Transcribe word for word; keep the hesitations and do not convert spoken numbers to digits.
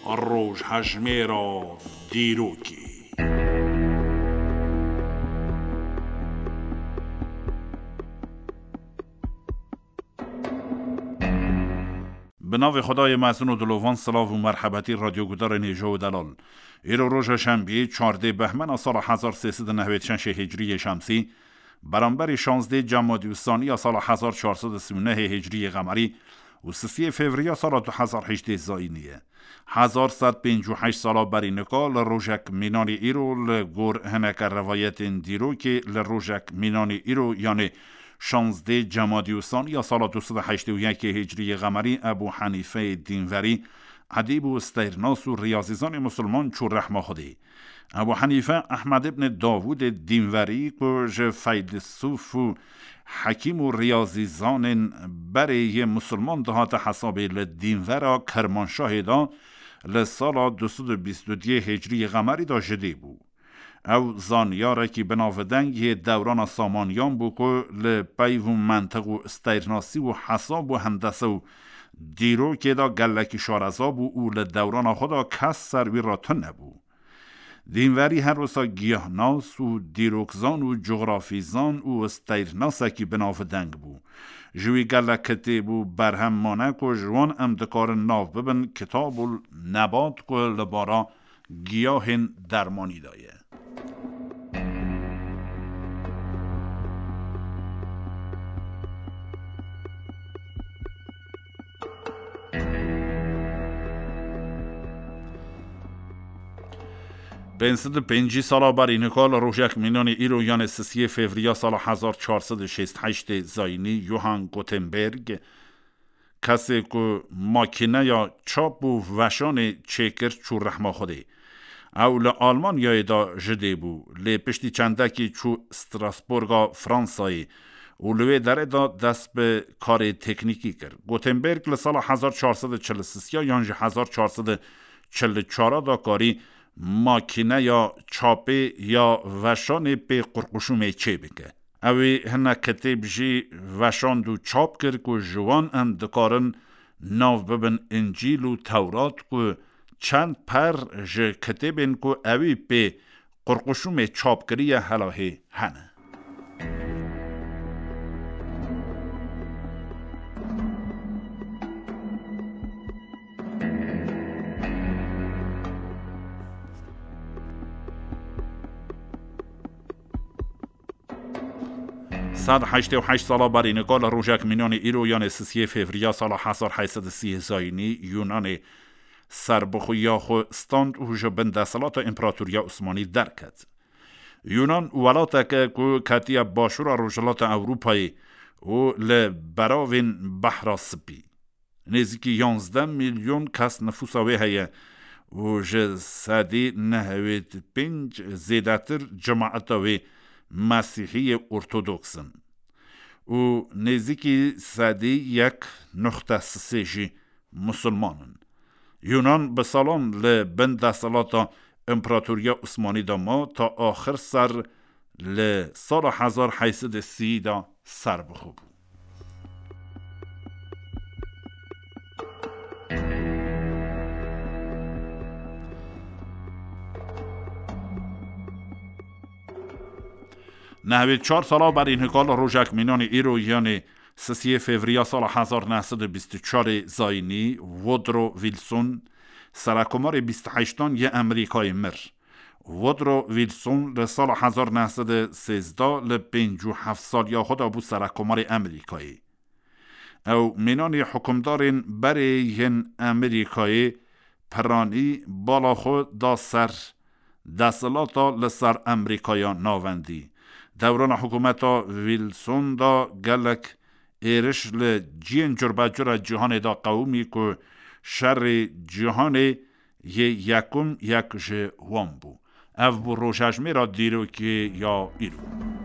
Rojhejmêra dîrokê. Bi navê Xwedayê mezin û dilovan, silav û merhebetî radyogudarên hêja û delal. Îro roja şembiyê, çardê behmena sala hezar sê sed û nehwêd şeşê hicriyê şemsî, beramberî şazdê cemadî û saniya sala hezar çar sed û sî û nehê hicriyê qemerî û sisiyê fevriya sala du hezar hejdê zayînî ye. Hezar sed pêncî û heşt sala berî nika li rojek mînanî îro, li gor hineke rivayetên dîrokê, li rojek mînanî îro, yanê şazdê cemadî û saniya sala du sed û heştê û yekê hicriyê qemerî Ebû Henîfeyê dînverî, edîb û steyrnas û riyazîzanê musulman çû rehma Xwedê. Ebû Henîfe Ehmed ibn Davûdê dînverî, ku ji feylisûf û hekîm û riyazîzanên berê yê musulman dihate hesabê, li dînvera Kermanşahê de li sala du sed û bîst û duyê hicriyê qemerî de ji dê bû. Ew zaniyarekî binavdeng yê dewrana Samaniyan bû, ku li peyv û mentiq û steyrnasî û hesab û hendese û dîrokê de gelekî şareza bû û li dewrana xwe de kes ser wî re tune bû. Dînverî her wisa giyahnas û dîrokzan û cografîzan û steyrnasekî binavdeng bû. Ji wî gelek kitêb û berhem mane, ku ji wan em dikarin nav bibin Kitabul Nebat, ku li bara giyahên dermanî de ye. Pênc sed û pêncî sala berî nika li rojek mînanê îro, yanê sisiyê fevriya sala hezar çar sed û şêst heştê zayînî, Johann Gutenberg, kesê ku makîneya çap û veşanê çêkir, çû rehma Xwedê. Ew li Almanyayê de ji dê bû, lê piştî çendekî çû Strasbourga Fransayê û li wê derê de dest bi karê teknîkî kir. Gutenberg li sala hezar çar sed û çil û sisiya yan jî hezar çar sed û çil û çara de karî makîneya çapê ya veşanê pê qurquşûmê çê bike. Ew ê hinek kitêb jî veşand û çap kir, ku ji wan em dikarin nav bibin Încîl û Tewrat, ku çend per ji kitêbên ku ewî pê qurquşûmê çap kiriye helahê hene. Sed heştê û heşt sala berî nika li rojek mînanê îro, yanê sisiyê fevriya sala hezar heyt sed û sî zayînî, Yûnanê serbixweya xwe stand û ji bin desthilata Împeratoriya Osmanî derket. Yûnan welateke ku ketiye başûra rojhilata Ewropayê û li beravên Behra Spî. Nêzîkî yanzdeh milyon kes nifûsa wê heye û ji sedî nehwêd pênc zêdetir cemaeta wê mesîhiyê ortodoks in û nêzîkî sedî yek nuxte sisê jî musulman in. Yûnan bi salan li bin desthilata Împeratoriya Osmanî de ma, ta axir ser li sala hezar heyt sed û sî de serbixwe bû. Nehwêd çar sala berî nika li rojek mînanê îro, yanê sisiyê fevriya sala hezar neh sed û bîst û çarê zayînî, Woodrow Wilson, serekomarê bîst û heştan yê Amerîkayê mir. Woodrow Wilson li sala hezar neh sed û sêzdeh li pêncî û heft saliya xwe de bû serekomarê Amerîkayê. Ew mînanî hikûmdarên berê yên Amerîkayê piranî bala xwe da ser desthilata li ser Amerîkaya Navendî. Dewrana hikûmeta Wilson da gelek êriş li cihên curbecura cîhanê da qewimî ku şerê cîhanê yê yekum yek ji wan bû. Ev bû rojhejmêra dîrokê ya îro.